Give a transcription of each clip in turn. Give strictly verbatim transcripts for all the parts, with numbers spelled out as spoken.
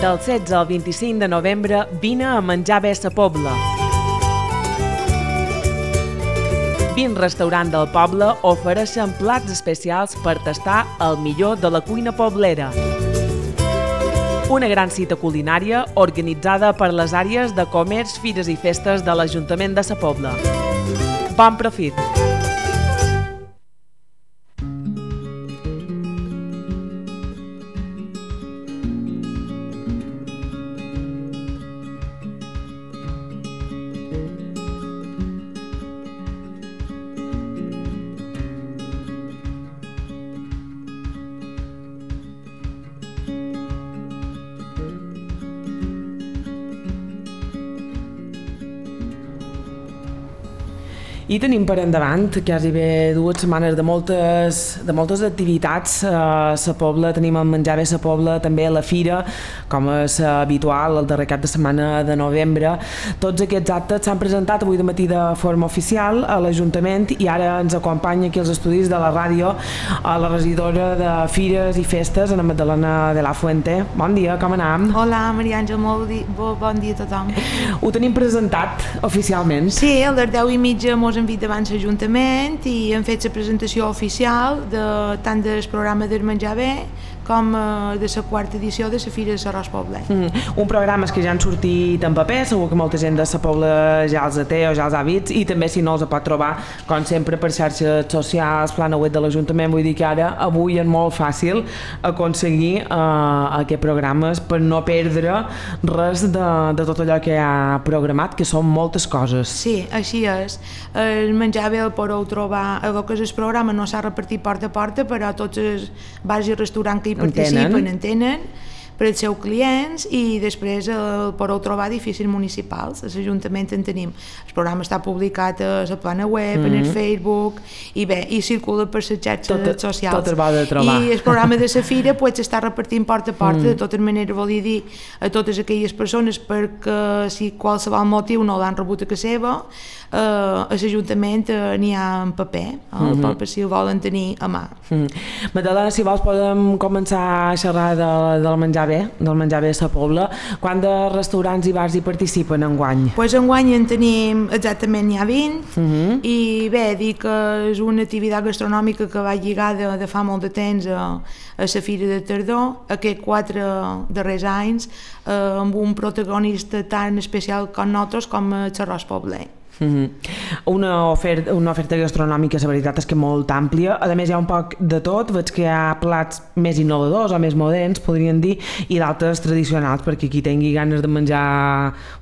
Del setze al vint-i-cinc de novembre vine a menjar bé a Sa Pobla. vint restaurants del poble ofereixen plats especials per tastar el millor de la cuina poblera. Una gran cita culinària organitzada per les àrees de comerç, fires i festes de l'Ajuntament de Sa Pobla. Bon profit! I tenim per endavant quasi bé dues setmanes de moltes, de moltes activitats. A Sa Pobla tenim el Menjar Bé Sa Pobla, també la Fira, com és habitual, el darrer cap de setmana de novembre. Tots aquests actes s'han presentat avui de matí de forma oficial a l'Ajuntament i ara ens acompanya aquí als estudis de la ràdio a la regidora de Fires i Festes, Ana Magdalena de la Fuente. Bon dia, com anem? Hola, Maria Àngel, molt di... bon dia a tothom. Ho tenim presentat oficialment? Sí, a les deu i mitja mos hem vist abans l'Ajuntament i hem fet la presentació oficial de, tant del programa del Menjar Bé com de la quarta edició de la Fira de l'Arròs Pobler. Mm, un programa que ja han sortit en paper, segur que molta gent de Sa Pobla ja els té o ja els ha vist, i també si no els pot trobar, com sempre, per xarxes socials, plana web de l'Ajuntament. Vull dir que ara, avui és molt fàcil aconseguir eh, aquests programes per no perdre res de, de tot allò que ha programat, que són moltes coses. Sí, així és. El Menjar Bé el podeu trobar, el que és el programa no s'ha repartit porta a porta, però tots els bars i restaurants que hi participen en tenen per als seus clients, i després el podeu trobar a edificis municipals. A l'Ajuntament en tenim. El programa està publicat a la plana web, mm-hmm. en el Facebook, i bé, i circula per les xarxes tot, socials. Tot es va de trobar. I el programa de la Fira pues, s'està repartint porta a porta, mm. de tota manera volia dir a totes aquelles persones perquè si qualsevol motiu no l'han rebut a casa seva, eh, a l'Ajuntament eh, n'hi ha en paper, el mm-hmm. paper si el volen tenir a mà. Mm. Magdalena, si vols podem començar a xerrar de, del menjar bé, del menjar bé a Sa Pobla. Quants de restaurants i bars hi participen enguany? Pues enguany en tenim exactament n'hi ha vint, mm-hmm. i bé, dir que és una activitat gastronòmica que va lligada de fa molt de temps a, a la Fira de Tardor, aquests quatre darrers anys, eh, amb un protagonista tan especial com nosaltres com el Arròs Pobler. Mm-hmm. Una, oferta, una oferta gastronòmica, la veritat és que molt àmplia. A més hi ha un poc de tot, veig que hi ha plats més innovadors o més moderns, podríem dir, i d'altres tradicionals, perquè qui tingui ganes de menjar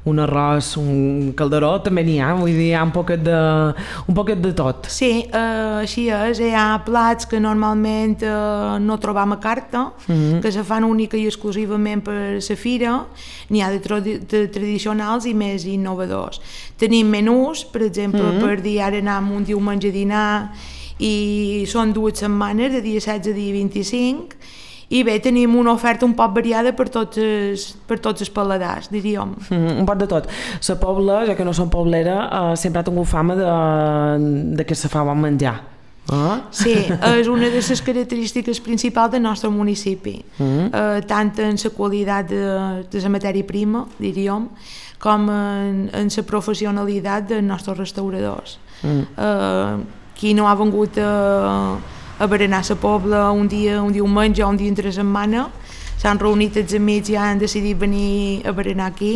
un arròs, un calderó, també n'hi ha, vull dir, hi ha un poquet de, un poquet de tot. Sí, eh, així és, hi ha plats que normalment eh, no trobam a carta, mm-hmm. que se fan única i exclusivament per la fira, n'hi ha de, de tradicionals i més innovadors. Tenim menús, per exemple, mm-hmm. per dir ara anem un diumenge a dinar i són dues setmanes, de dia setze a dia vint-i-cinc, i bé, tenim una oferta un poc variada per tots els, per tots els paladars, diríem. Mm, un poc de tot. Sa Pobla, ja que no som poblera, eh, sempre ha tingut fama de, de que se fa bon menjar. Ah. Sí, és una de les característiques principals del nostre municipi, mm. eh, tant en la qualitat de, de la matèria prima, diríem, com en, en la professionalitat dels nostres restauradors. Mm. Eh, qui no ha vengut a, a berenar a Sa Pobla un dia, un diumenge o un dia entre setmana, s'han reunit els amics i han decidit venir a berenar aquí,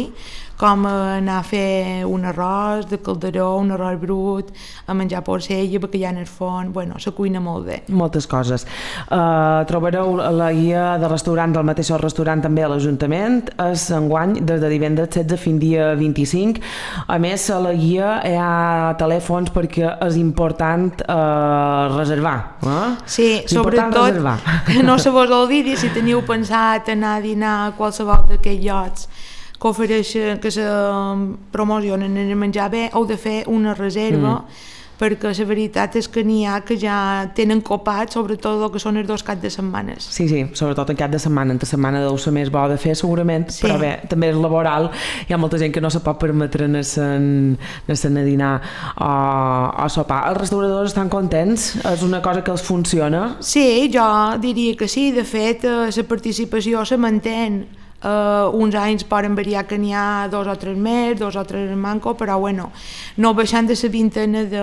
com anar a fer un arròs de calderó, un arròs brut, a menjar porcella, bacallà en el forn, bueno, se cuina molt bé. Moltes coses. Uh, trobareu la guia de restaurants del mateix restaurant també a l'Ajuntament, és enguany des de divendres setze fins dia vint-i-cinc. A més, a la guia hi ha telèfons perquè és important uh, reservar. Eh? Sí, sobretot que no se vos oblidi si teniu pensat anar a dinar a qualsevol d'aquests llocs que ofereixen, que se promocionen en el menjar bé, heu de fer una reserva, mm. perquè la veritat és que n'hi ha que ja tenen copat, sobretot el que són els dos caps de setmanes. Sí, sí, sobretot en cap de setmana, entre setmana deu ser més bo de fer segurament, sí. Però bé, també és laboral, hi ha molta gent que no se pot permetre anar a dinar o a sopar. Els restauradors estan contents? És una cosa que els funciona? Sí, jo diria que sí, de fet la participació se mantén Uh, uns anys poden variar que n'hi ha dos o tres més, dos o tres en manco, però bueno, no baixant de la vintena de,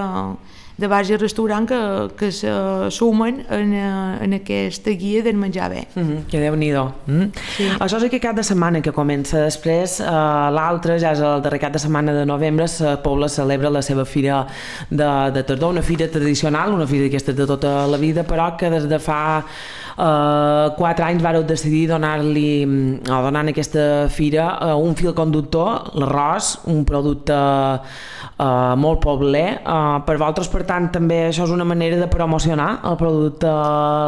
de bars i restaurants que, que se sumen en, en aquesta guia del menjar bé. Mm -hmm, que déu-n'hi-do. Mm? Sí. Això és aquest cap de setmana que comença. Després, eh, l'altre, ja és el darrer cap de setmana de novembre, la Pobla celebra la seva fira de, de tardor, una fira tradicional, una fira d'aquestes de tota la vida, però que des de fa Uh, quatre anys vareu decidir donar-li o donar en aquesta fira uh, un fil conductor, l'arròs, un producte uh, molt pobler. Uh, per vosaltres, per tant, també això és una manera de promocionar el producte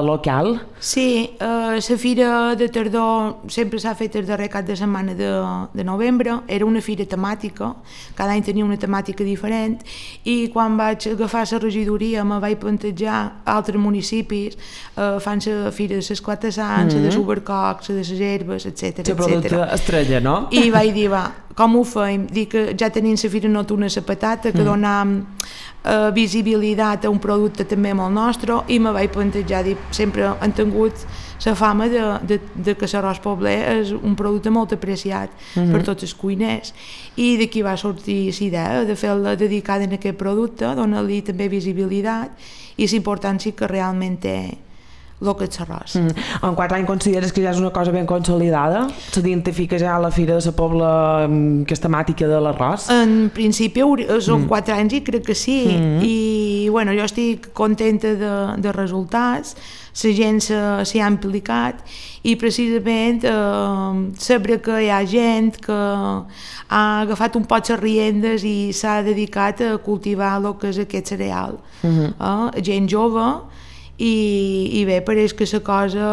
local? Sí, uh, la fira de tardor sempre s'ha fet el darrer cap de setmana de, de novembre. Era una fira temàtica, cada any tenia una temàtica diferent, i quan vaig agafar la regidoria me vaig plantejar altres municipis uh, fan la fira de l'esclata-sants, mm -hmm. de l'Ubercoc, de les herbes, etcètera. El producte estrella, no? I vaig dir, va, com ho feim? Dic que ja tenim la fira nocturna a la patata, que mm. donam uh, visibilitat a un producte també molt nostre, i me vaig plantejar, dic, sempre han tingut la fama de, de, de que l'arròs pobler és un producte molt apreciat mm -hmm. per tots els cuiners, i d'aquí va sortir la idea de fer-la dedicada a aquest producte, donar-li també visibilitat i la importància que realment té el que és l'arròs. Mm. En quatre anys consideres que ja és una cosa ben consolidada? S'identifica ja a la Fira de la Pobla que és temàtica de l'arròs? En principi són mm. quatre anys i crec que sí, mm. i bueno, jo estic contenta de, de resultats, la gent s'hi ha implicat, i precisament eh, saber que hi ha gent que ha agafat un poc les riendes i s'ha dedicat a cultivar el que és aquest cereal. Mm-hmm. eh, gent jove, i, i bé, pareix que la cosa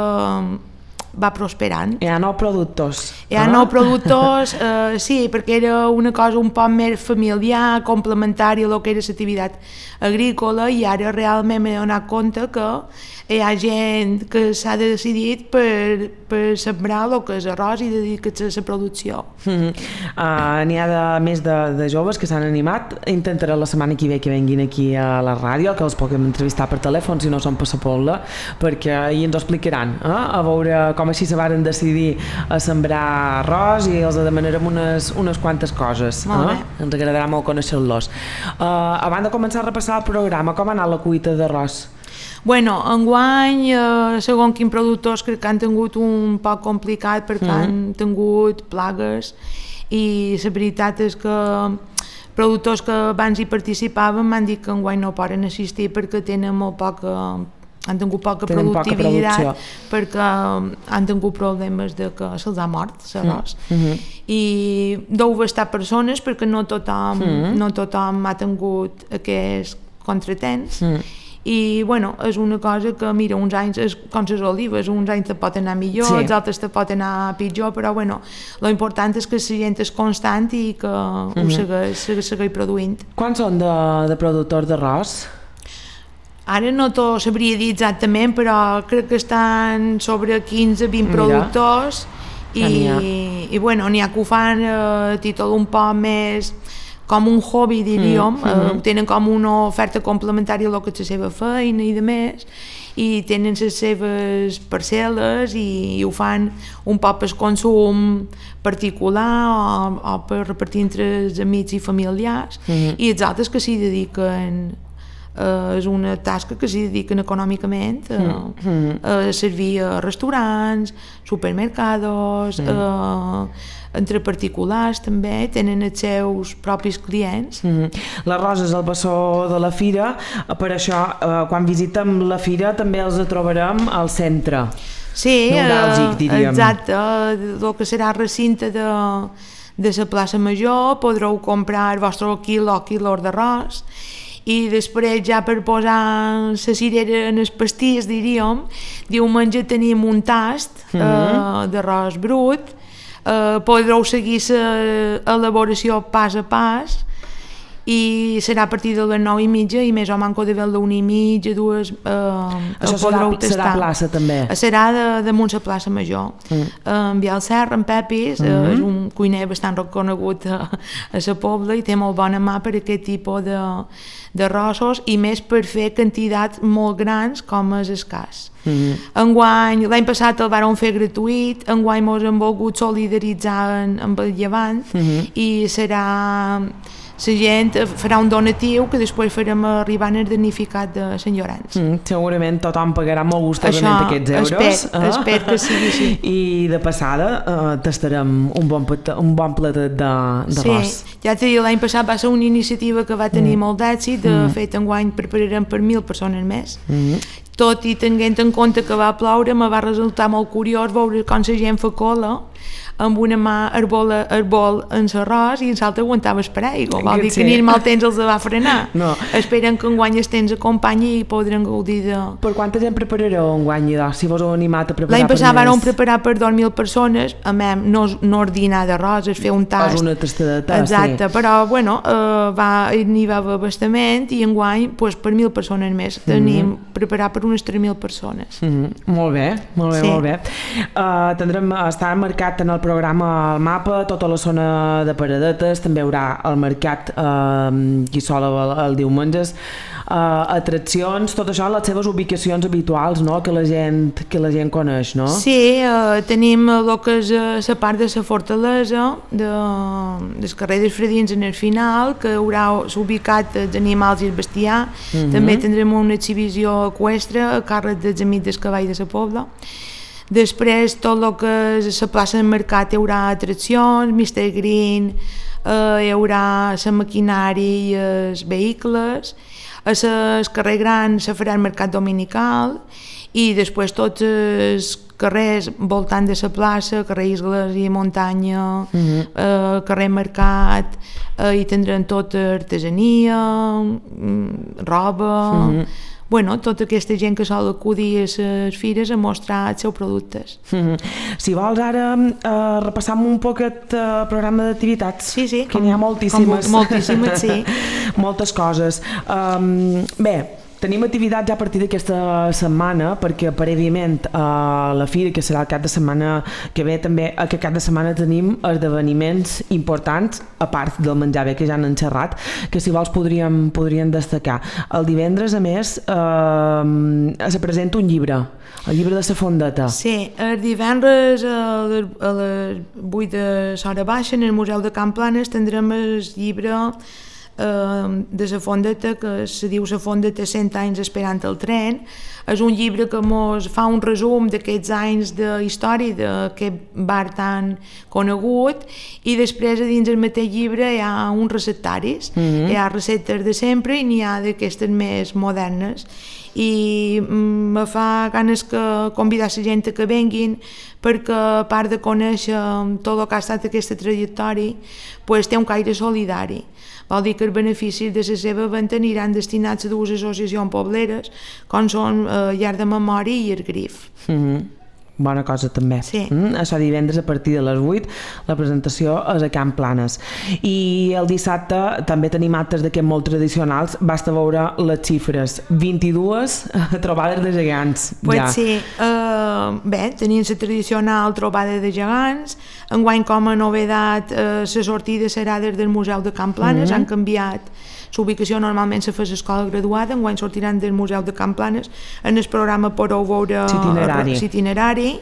va prosperant. Hi ha nous productors. Hi ha ah? nous productors, eh, sí, perquè era una cosa un poc més familiar, complementària a lo que era l'activitat agrícola, i ara realment m'he donat compte que hi ha gent que s'ha decidit per, per sembrar el que és arròs i dedicar-se a la producció. Mm-hmm. uh, N'hi ha de, més de, de joves que s'han animat. Intentaré la setmana que ve que venguin aquí a la ràdio, que els puguem entrevistar per telèfon si no són per la Pobla, perquè ahir ens ho explicaran, eh? A veure com així se varen decidir a sembrar arròs, i els demanarem unes, unes quantes coses. Molt eh? bé. Ens agradarà molt conèixer-los. Uh, abans de començar a repassar el programa, com ha anat la cuita d'arròs? Bueno, enguany, eh, segons quins productors, crec que han tingut un poc complicat perquè mm. han tingut plagues, i la veritat és que productors que abans hi participaven m'han dit que enguany no poden assistir perquè tenen molt poca, han tingut poca Tenen productivitat poca perquè han tingut problemes de que se'ls ha mort l'arròs. Mm -hmm. I deu bastar persones perquè no tothom, mm. no tothom ha tingut aquests contratemps. Mm. I bueno, és una cosa que mira, uns anys és com les olives, uns anys te pot anar millor, sí. els altres te pot anar pitjor, però bueno, lo important és que la gent és constant i que mm-hmm. ho segueix, segueix, segueix produint. Quants són de, de productors d'arròs? Ara no t'ho sabria dir exactament, però crec que estan sobre quinze vint mira. Productors, i, i bueno, n'hi ha que ho fan a títol un poc més com un hobby, diríem, mm, mm. Eh, tenen com una oferta complementària a lo que és la seva feina i de més, i tenen les seves parcel·les i, i ho fan un poc per consum particular o, o per repartir entre els amics i familiars, mm. i els altres que s'hi dediquen, eh, és una tasca que s'hi dediquen econòmicament eh, mm. a servir a restaurants, supermercados, mm. eh, entre particulars també, tenen els seus propis clients. Mm-hmm. L'arròs és el bessó de la fira, per això eh, quan visitem la fira també els trobarem al centre. Sí, neuràlgic, eh, exacte, el que serà el recinte de, de la plaça Major, podreu comprar el vostre quilo o quilos d'arròs, i després ja per posar la cirera en els pastís, diríem, diumenge tenim un tast mm-hmm. eh, d'arròs brut. Uh, podreu seguir l'elaboració pas a pas, i serà a partir de les nou i mitja i més o manco de veure una i mitja, dues... Eh, Això serà, serà plaça també? Serà de, damunt la plaça Major. Mm. Eh, en Biel Serra, en Pepis, mm -hmm. eh, és un cuiner bastant reconegut a, a la Pobla i té molt bona mà per aquest tipus de, de rossos i més per fer quantitats molt grans com és escàs. Mm-hmm. Enguany, l'any passat el vàrem fer gratuït, enguany mos hem volgut solidaritzar en, amb el Llevant mm-hmm. i serà... la gent farà un donatiu que després farem arribar en el damnificat de Sant Llorenç. Mm, segurament tothom pagarà molt gustosament aquests euros. Espero, eh? espero que sigui així. I de passada eh, tastarem un bon, un bon platet d'arròs. Sí, ja t'he dit, l'any passat va ser una iniciativa que va tenir mm. molt d'èxit, de mm. fet enguany prepararem per mil persones més. Mm. Tot i tenint en compte que va ploure, me va resultar molt curiós veure com la gent fa cola amb una mà el bol, el bol en l'arròs i en l'altre aguantava el paraigua. Vol dir que ni el mal temps els va frenar. No. Esperen que enguany els temps acompanyi i podran gaudir de... Per quanta gent preparareu enguany, si vos heu animat a preparar per més? L'any passat vam preparar per dos mil persones, a més, no, no ordinar d'arròs, és fer un tast. És una tastadeta, exacte, sí. Però bueno, eh, va, n'hi va haver bastament i enguany pues, per mil persones més. Tenim mm -hmm. preparat per unes tres mil persones. Mm -hmm. Molt bé, molt bé, sí. molt bé. Uh, tindrem, està marcat en el programa al mapa, tota la zona de paradetes, també hi haurà el mercat eh, Guissola el, el diumenges, eh, atraccions, tot això, les seves ubicacions habituals, no? que, la gent, que la gent coneix, no? Sí, eh, tenim el que és la part de la fortalesa, de, del carrer dels Fredins en el final, que haurà ubicat els animals i el bestiar, mm-hmm. també tindrem una exhibició eqüestre a càrrec dels amics del cavall de la Pobla. Després, tot el que és la plaça del mercat hi haurà atraccions, mister Green, eh, hi haurà la maquinària i els vehicles, a el carrer Gran se farà el mercat dominical i després tots els carrers voltant de la plaça, carrer Isgles i Muntanya, mm-hmm. eh, carrer Mercat, eh, hi tindran tota artesania, roba... Mm-hmm. Bueno, tota aquesta gent que sol acudir a les fires a mostrar els seus productes. Mm-hmm. Si vols ara uh, repassam un poc el uh, programa d'activitats, sí, sí, que n'hi ha moltíssimes. Com, moltíssimes, sí. Moltes coses. Um, bé, tenim activitats ja a partir d'aquesta setmana, perquè prèviament a la fira, que serà el cap de setmana que ve, també aquest cap de setmana tenim esdeveniments importants, a part del menjar bé que ja han xerrat, que si vols podríem, podríem destacar. El divendres, a més, eh, se presenta un llibre, el llibre de la Fondeta. Sí, el divendres a les, a les vuit de l'hora baixa en el Museu de Can Planes tindrem el llibre de la Fondeta, que se diu La Fondeta cent anys esperant el tren. És un llibre que ens fa un resum d'aquests anys de història d'aquest bar tan conegut i després a dins del mateix llibre hi ha uns receptaris, mm-hmm. hi ha receptes de sempre i n'hi ha d'aquestes més modernes i me fa ganes que convidar la gent que venguin perquè a part de conèixer tot el que ha estat aquesta trajectòria pues, té un caire solidari. Vol dir que els beneficis de la seva venda aniran destinats a dues associacions pobleres, com són eh, Llar de Memòria i el Grif. Mm-hmm. Bona cosa també. Sí. Mm, això divendres a partir de les vuit, la presentació és a Can Planes. I el dissabte també tenim actes d'aquests molt tradicionals, basta veure les xifres, vint-i-dues trobades de gegants. Pues ja. sí, uh, bé, tenim la tradicional trobada de gegants, enguany com a novedat uh, la sortida serà des del Museu de Can Planes, mm-hmm. han canviat l'ubicació, normalment se fa l'escola graduada, enguany sortiran del Museu de Can Planes, en el programa podeu veure l'itinerari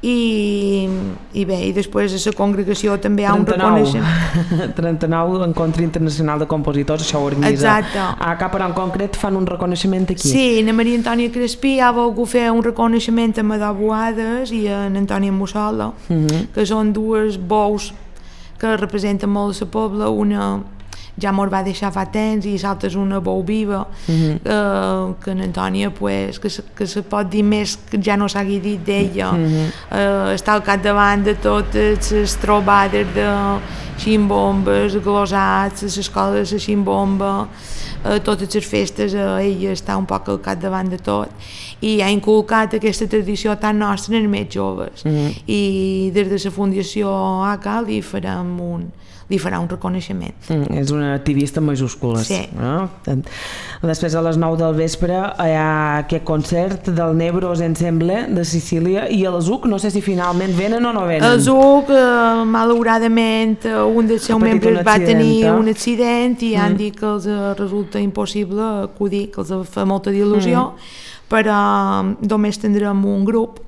i, i bé, i després a la congregació també hi ha un reconeixement. trenta-nou Encontre Internacional de Compositors, això ho organitza. Exacte. A Cap en concret fan un reconeixement aquí. Sí, na Maria Antònia Crespí ha volgut fer un reconeixement a Madó Boades i a Antònia Mussola, mm-hmm. que són dues bous que representen molt la Pobla, una ja mos va deixar fa temps i l'altra és una bou viva, mm-hmm. eh, que en Antònia pues, que, se, que se pot dir més que ja no s'hagi dit d'ella, mm-hmm. eh, està al capdavant de totes les trobades de ximbombes, glosats, les escoles de ximbomba, eh, totes les festes, eh, ella està un poc al capdavant de tot i ha inculcat aquesta tradició tan nostra en els més joves, mm-hmm. i des de la Fundació A C A li farem un li farà un reconeixement. Mm, és una activista en majúscules. Sí. No? Després a les nou del vespre hi ha aquest concert del Nebros Ensemble de Sicília i el Z U C, no sé si finalment venen o no venen. El Z U C, eh, malauradament, un dels seus membres va tenir un accident i mm. han dit que els resulta impossible acudir, que els fa molta il·lusió, mm. però només tindrem un grup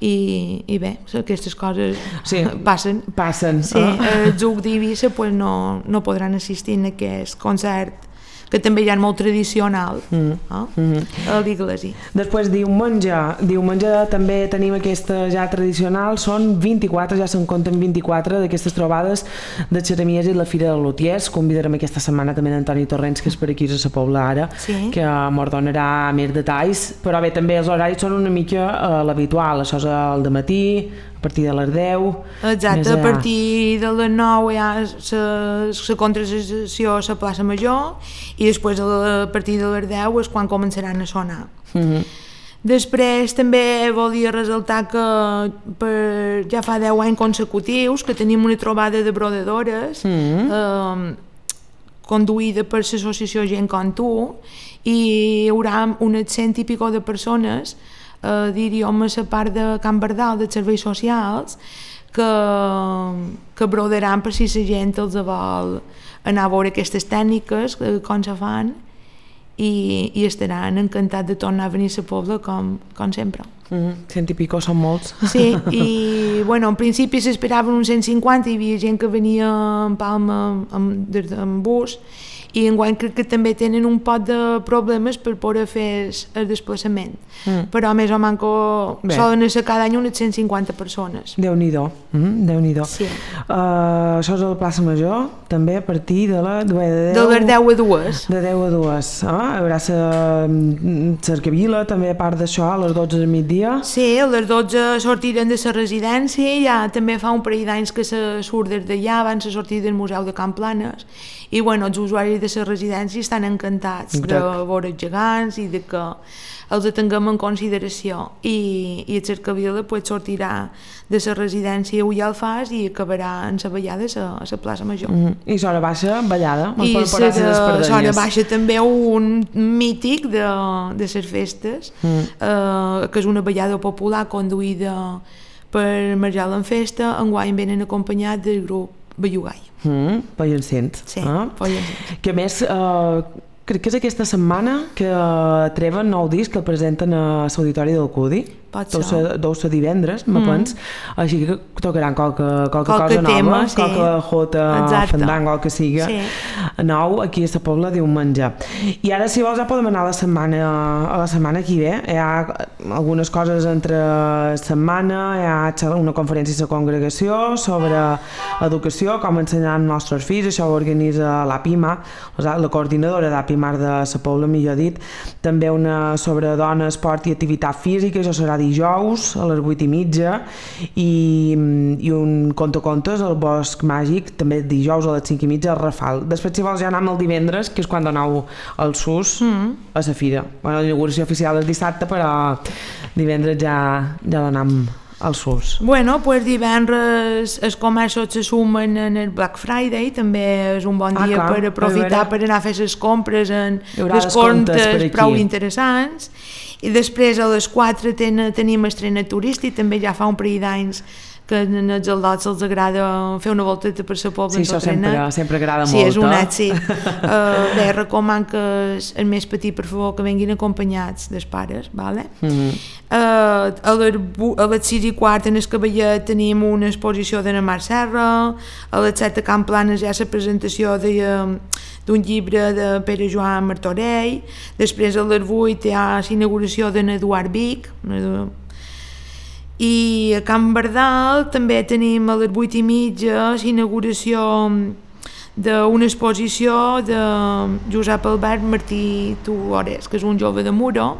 i, i bé, aquestes coses sí, passen. Passen. Sí, el Z U C d'Eivissa pues, no, no podran assistir a aquest concert que també hi ha molt tradicional mm. eh? mm. a l'Iglesi. Després diumenge, diumenge també tenim aquesta ja tradicional, són vint-i-quatre, ja se'n compten vint-i-quatre d'aquestes trobades de xeremies i la Fira de Lutiers. Convidarem aquesta setmana també en Antoni Torrents, que és per aquí a Sa Pobla ara, sí. que mos donarà més detalls, però bé, també els horaris són una mica uh, l'habitual, això és el dematí, a partir de les deu. Exacte, a partir de les nou hi ha la contrasessió a la plaça Major i després a partir de les deu és quan començaran a sonar. Mm-hmm. Després també volia ressaltar que per, ja fa deu anys consecutius que tenim una trobada de brodadores mm-hmm. eh, conduïda per l'associació Gent com tu i hi haurà unes cent i pico de persones Uh, diríem a la part de Can Bardal de serveis socials que, que brodaran per si la gent els vol anar a veure aquestes tècniques com se fan i, i estaran encantats de tornar a venir a la Pobla com, com sempre. Mm-hmm. Cent i pico són molts. Sí, i bueno, en principi s'esperaven uns cent cinquanta, hi havia gent que venia en Palma amb, des d'en bus i enguany crec que també tenen un pot de problemes per poder fer el desplaçament, mm. però més o manco bé. Solen ser cada any unes cent cinquanta persones. Déu-n'hi-do, mm, Déu-n'hi-do. Sí. Uh, això és a la plaça Major, també a partir de la de deu, de les deu a dues. De deu a dues. Ah, hi haurà la cercavila també a part d'això, a les dotze del migdia. Sí, a les dotze sortiran de la residència, ja també fa un parell d'anys que se surt des d'allà, van a sortir del Museu de Can Planes, i bueno, els usuaris de la residència estan encantats Exacte. De veure els gegants i de que els tinguem en consideració i, i el cercavila pues, sortirà de la residència a Alfàs i acabarà en la ballada a la plaça Major. Mm-hmm. I l'hora baixa, ballada? I l'hora baixa també un mític de, de les festes, mm. eh, que és una ballada popular conduïda per Marjal en Festa, enguany venen acompanyats del grup Bellugai. Mm, Pollencent. Sí, ah. Pollencent. Que a més, eh, crec que és aquesta setmana que treuen nou disc que el presenten a l'Auditori del Cudi. Pot ser. Deu ser divendres, me mm. pens. Així que tocaran qualque, qualque, qualque cosa tema, nova, sí. qualque jota, Exacte. Fandango, que siga sí. nou aquí a la Pobla diumenge. I ara, si vols, ja podem anar a la setmana, a la setmana que ve. Hi ha algunes coses entre setmana, hi ha una conferència a la congregació sobre educació, com ensenyar als nostres fills, això ho organitza l'APIMA, la coordinadora d'APIMAR de la Pobla, millor dit. També una sobre dona, esport i activitat física, això serà dijous a les vuit i mitja i, i un contacontes al Bosc Màgic també dijous a les cinc i mitja al Rafal. Després si vols ja anem el divendres, que és quan donau el S U S mm. a la fira. Bueno, la inauguració oficial és dissabte, però divendres ja, ja donam al S U S. Bueno, pues divendres els comerços se sumen en el Black Friday, també és un bon dia ah, per aprofitar per anar a fer les compres en descomptes prou interessants. I després a les quatre ten, tenim estrena turístic, també ja fa un parell d'anys que als aldots els agrada fer una volteta per la Pobla. Sí, això sempre, sempre agrada sí, molt. Sí, és un èxit. uh, bé, recoman que el més petit, per favor, que venguin acompanyats dels pares, vale? Mm-hmm. uh, a, les, a les sis i quart en el Cavallet tenim una exposició de Mar Serra, a les set a Can Planes hi ha la presentació de... d'un llibre de Pere Joan Martorell, després a les vuit hi ha l'inauguració d'en Eduard Vic, i a Can Bardal també tenim a les vuit i mitja l'inauguració d'una exposició de Josep Albert Martí Tuores, que és un jove de Muro,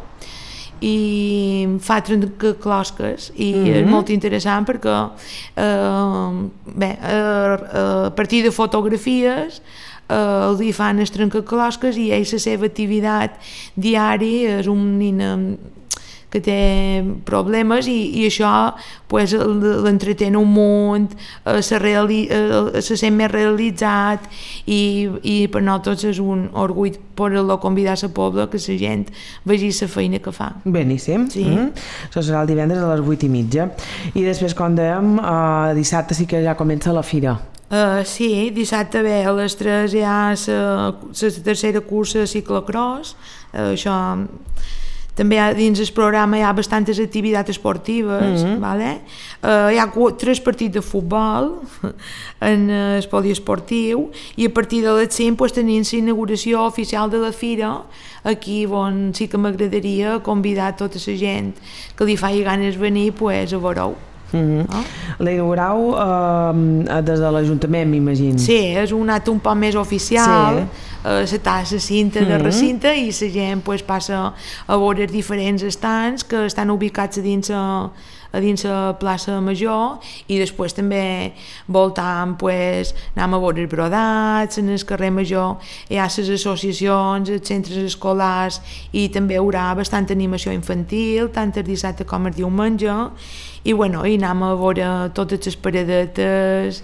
i fa trencaclosques i mm-hmm. és molt interessant perquè eh, bé, a, a partir de fotografies eh, els hi fan els trencaclosques i ell la seva activitat diària és un nen que té problemes i, i això pues, l'entretén un munt, eh, se, reali, eh, se sent més realitzat i, i per nosaltres és un orgull poder-lo convidar a la pobla que la gent vegi la feina que fa. Beníssim. Sí. Mm-hmm. Això serà el divendres a les vuit i mitja. I després, com dèiem, eh, dissabte sí que ja comença la fira. Uh, sí, dissabte bé, a les tres hi ha la tercera cursa de ciclocross, uh, això també hi ha, dins el programa hi ha bastantes activitats esportives, mm-hmm. vale? uh, hi ha tres partits de futbol en el poliesportiu i a partir de les cinc pues, tenim l'inauguració oficial de la fira, aquí on sí que m'agradaria convidar tota la gent que li faci ganes venir pues, a veure-ho. Mm-hmm. Oh. La inaugurau eh, des de l'Ajuntament, m'imagino. Sí, és un acte un poc més oficial, sí. eh, se tassa cinta mm-hmm. de recinte i la gent pues, passa a veure els diferents estants que estan ubicats a dins a, a dins la plaça Major i després també voltant pues, anem a veure els brodats, en el carrer Major hi ha les associacions, els centres escolars i també hi haurà bastant animació infantil, tant el dissabte com el diumenge i bueno, i anem a veure totes les paradetes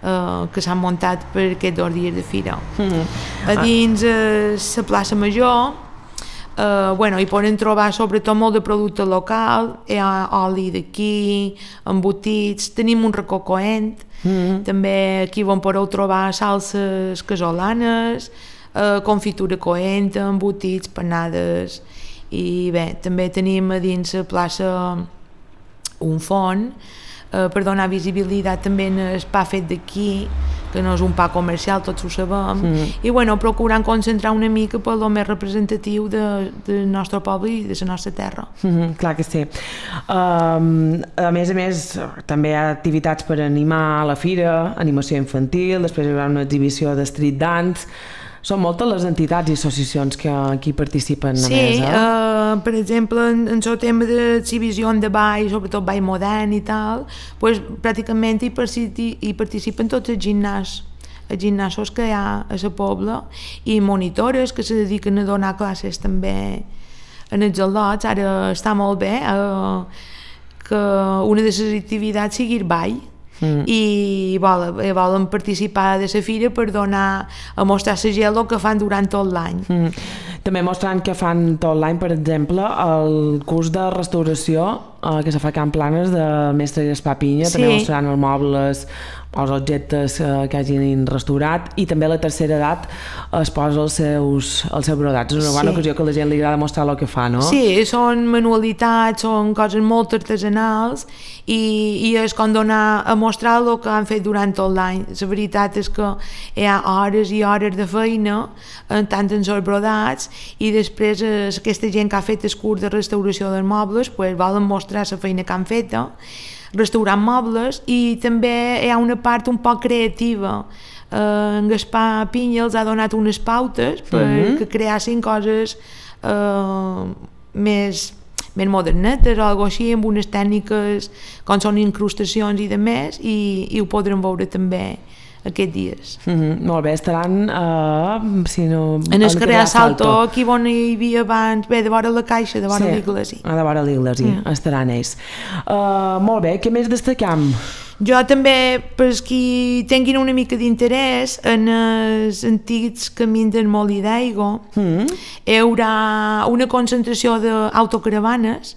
eh, que s'han muntat per aquests dos dies de fira. Mm-hmm. A dins la plaça Major eh, bueno, hi poden trobar sobretot molt de producte local, hi ha oli d'aquí, embotits, tenim un racó coent, mm-hmm. també aquí on podeu trobar salses casolanes, eh, confitura coent, embotits, panades i bé, també tenim a dins la plaça un font eh, per donar visibilitat també en el pa fet d'aquí, que no és un pa comercial, tots ho sabem, mm. i bueno, procurant concentrar una mica per lo més representatiu de, del nostre poble i de la nostra terra. Mm-hmm, clar que sí. Um, a més a més, també hi ha activitats per animar a la fira, animació infantil, després hi haurà una exhibició de street dance. Són moltes les entitats i associacions que aquí participen a sí, més, eh? Uh, per exemple, en, en el tema d'exhibició de ball, sobretot ball modern i tal, pues, pràcticament hi, hi participen tots els gimnasos, els gimnasos que hi ha a la pobla i monitores que se dediquen a donar classes també en els al·lots. Ara està molt bé uh, que una de les activitats sigui el ball. Mm. i volen, volen participar de la fira per donar a mostrar la gent el que fan durant tot l'any. Mm. També mostrant que fan tot l'any, per exemple, el curs de restauració eh, que se fa a Can Planes del mestre Gaspar Pinya, sí. També mostrant els mobles, els objectes eh, que hagin restaurat i també la tercera edat es posa els seus, els seus brodats. És una bona sí. ocasió que a la gent li agrada mostrar el que fa, no? Sí, són manualitats, són coses molt artesanals i, i és com donar a mostrar el que han fet durant tot l'any. La veritat és que hi ha hores i hores de feina, tant en els brodats, i després eh, aquesta gent que ha fet el curs de restauració dels mobles pues, volen mostrar la feina que han fet, restaurant mobles, i també hi ha una part un poc creativa. Eh, en Gaspar Pinya els ha donat unes pautes per mm-hmm. que creassin coses eh, més, més modernetes o alguna així, amb unes tècniques com són incrustacions i de més, i, i ho podrem veure també aquests dies. Mm-hmm, molt bé, estaran uh, si no, en el carrer Salto, aquí on hi havia abans, bé, de vora la Caixa, de vora sí, l'Iglesi. Ah, de vora l'Iglesi, mm. estaran ells. Uh, molt bé, què més destacam? Jo també, per qui tinguin una mica d'interès en els antics camins del Molí d'Aigua, mm. hi haurà una concentració d'autocaravanes,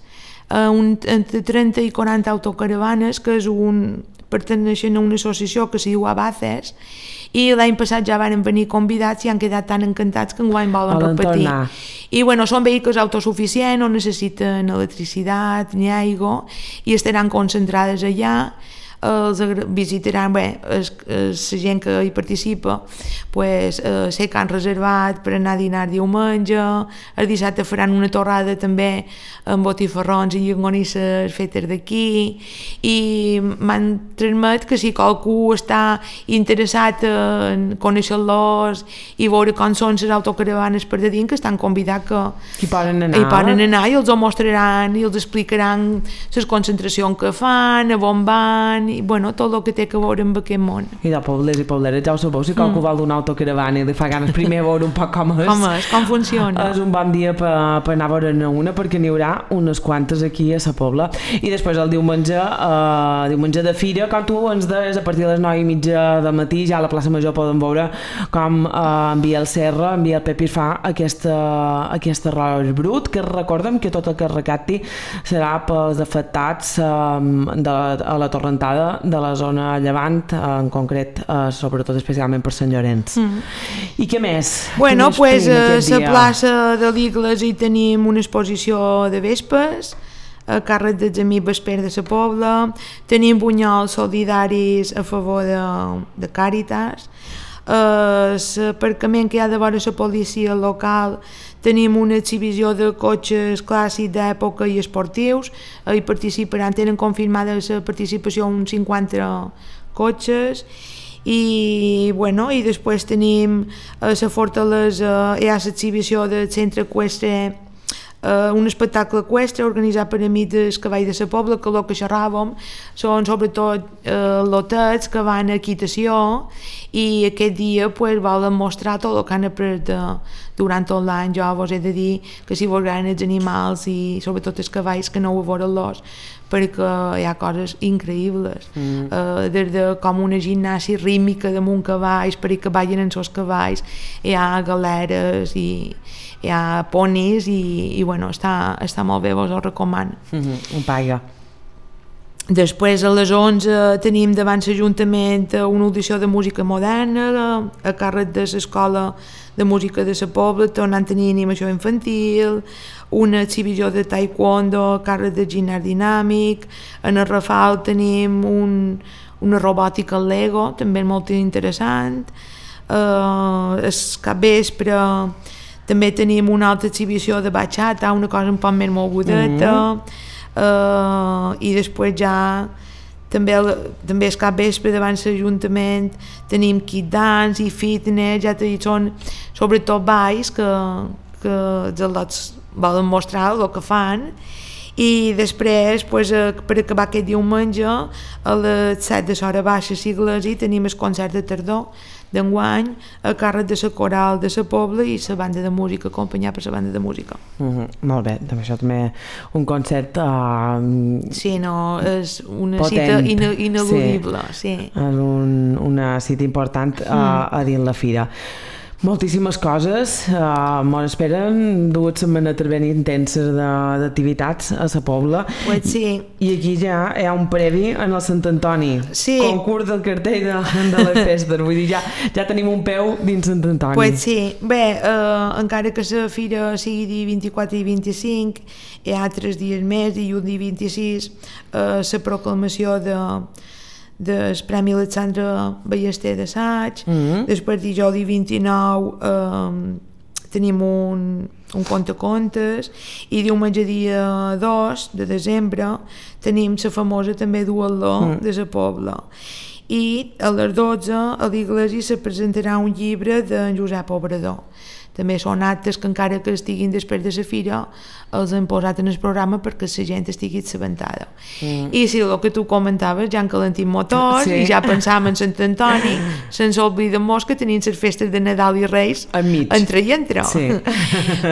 uh, un, entre trenta i quaranta autocaravanes, que és un perteneixen a una associació que s'hi diu Abaces, i l'any passat ja van venir convidats i han quedat tan encantats que enguany volen repetir. Tornar. I bueno, són vehicles autosuficients, no necessiten electricitat ni aigua i estaran concentrades allà. Els visitaran, bé, la gent que hi participa, pues, eh, sé que han reservat per anar a dinar diumenge, el dissabte faran una torrada també amb botifarrons i llonganisses fetes d'aquí, i m'han transmet que si qualcú està interessat en conèixer-los i veure com són les autocaravanes per de dins, que estan convidats que hi poden anar, hi poden anar i els ho mostraran i els explicaran les concentracions que fan, a on van i bueno, tot el que té que veure amb aquest món. I de pobles i pobleres, ja ho sabeu, si qualcú mm. vol donar autocaravana i li fa ganes primer veure un poc com és. Com és, com funciona. És un bon dia per, per anar a veure-ne una, perquè n'hi haurà unes quantes aquí a la Pobla. I després el diumenge, eh, diumenge de fira, com tu ens deies, a partir de les nou i mitja del matí, ja a la plaça Major poden veure com eh, en Biel Serra, en Biel Pepi fa aquesta, aquesta arròs brut, que recordem que tot el que es recapti serà pels afectats eh, de, a la torrentada de la zona llevant, eh, en concret, eh, sobretot especialment per Sant Llorenç. Mm. I què més? Bueno, doncs pues, a la plaça de l'Igles hi tenim una exposició de vespes, a càrrec dels amics Vesper de la Pobla, tenim bunyols solidaris a favor de, de Càritas, l'aparcament que hi ha de vora la policia local tenim una exhibició de cotxes clàssics d'època i esportius, hi participaran, tenen confirmada la participació uns cinquanta cotxes, i bueno, i després tenim a la Fortalesa hi ha l'exhibició del centre eqüestre, Uh, un espectacle eqüestre organitzat per amics del cavall de la Pobla, que el que xerràvem són sobretot uh, lotets que van a equitació, i aquest dia pues, volen mostrar tot el que han après de, durant tot l'any. Jo vos he de dir que si vos agraden els animals i sobretot els cavalls, que no ho veure-los, perquè hi ha coses increïbles, mm. uh, des de com una gimnàsia rítmica damunt cavalls perquè ballin en els cavalls, hi ha galeres i hi ha ponis i, i bueno, està, està molt bé, vos ho recomano. Mm-hmm, un paga. Després a les onze tenim davant l'Ajuntament una audició de música moderna a càrrec de l'Escola de Música de la Pobla, tornant a tenir animació infantil, una exhibició de taekwondo a càrrec de ginàs dinàmic, en el Rafal tenim un, una robòtica al Lego, també molt interessant, uh, el capvespre també tenim una altra exhibició de bachata, una cosa un poc més mogudeta, mm-hmm. uh, i després ja també, també el capvespre davant l'Ajuntament tenim kit dance i fitness, ja t'he dit, són sobretot balls que, que els al·lots volen mostrar el que fan, i després, pues, per acabar aquest diumenge, a les set de l'hora baixa sigles i tenim el concert de tardor d'enguany a càrrec de la coral de la Pobla i la banda de música, acompanyat per la banda de música. Mm-hmm, molt bé, també això també un concert uh, sí, no, és una potent, cita ine ineludible, sí. sí. És un, una cita important uh, mm. a dins la fira. Moltíssimes coses, uh, mos esperen dues setmanes ben intenses d'activitats a la Pobla. Pues sí. I aquí ja hi ha un previ en el Sant Antoni, sí. concurs del cartell de, de les festes, vull dir, ja, ja tenim un peu dins Sant Antoni. Pues sí, bé, uh, encara que la fira sigui dia vint-i-quatre i vint-i-cinc, hi ha tres dies més, dilluns dia vint-i-sis, uh, la proclamació de del Premi Alexandre Ballester d'assaig, mm-hmm. després dijous dia vint-i-nou eh, tenim un, un contacontes, i diumenge dia dos de desembre tenim la famosa també duatló mm. de la Pobla, i a les dotze a l'Iglesi se presentarà un llibre d'en Josep Obrador. També són actes que encara que estiguin després de la fira els han posat en el programa perquè la gent estigui assabentada. Mm. I si el que tu comentaves, ja encalentim motors, sí. i ja pensàvem en Sant Antoni, sense oblidar-nos que tenim les festes de Nadal i Reis entre i entre. Sí.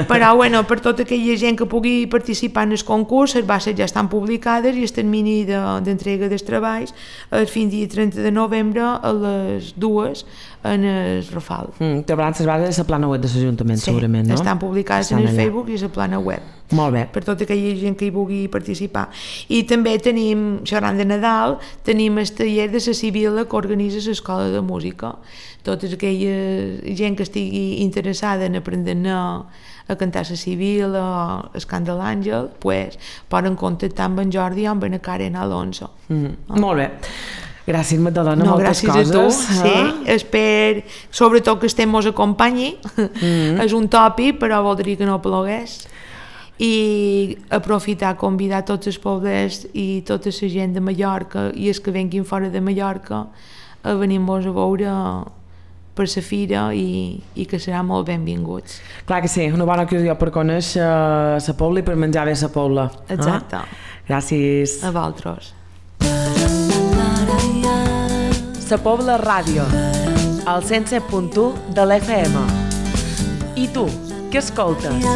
Però bueno, per tota aquella gent que pugui participar en el concurs, les bases ja estan publicades i el termini d'entrega de, dels treballs és fins dia trenta de novembre a les dues en el Rafal. Mm, Trobaran les bases a la plana web de l'Ajuntament, sí, segurament, no? Estan publicades estan en el allà. Facebook i a la plana web. Molt bé. Per tota aquella gent que hi vulgui participar. I també tenim, xerrant de Nadal, tenim el taller de la Sibila que organitza l'Escola de Música. Tota aquella gent que estigui interessada en aprendre a, a cantar la Sibila o el cant de l'Àngel, pues, poden contactar amb en Jordi o amb en Karen Alonso. Mm, oh. Molt bé. Gràcies, Magdalena, no, moltes gràcies coses. Gràcies a tu, sí, eh? Espero, sobretot que estem mos acompanyi, mm-hmm. és un tòpic, però voldria que no plogués, i aprofitar, convidar tots els pobles i tota la gent de Mallorca i els que venguin fora de Mallorca a venir-nos a veure per la fira i, i que seran molt benvinguts. Clar que sí, una bona ocasió per conèixer la Pobla i per menjar bé la Pobla. Exacte. Ah? Gràcies. A vosaltres. Sa Pobla Ràdio, al cent set punt u de l'F M. I tu, què escoltes?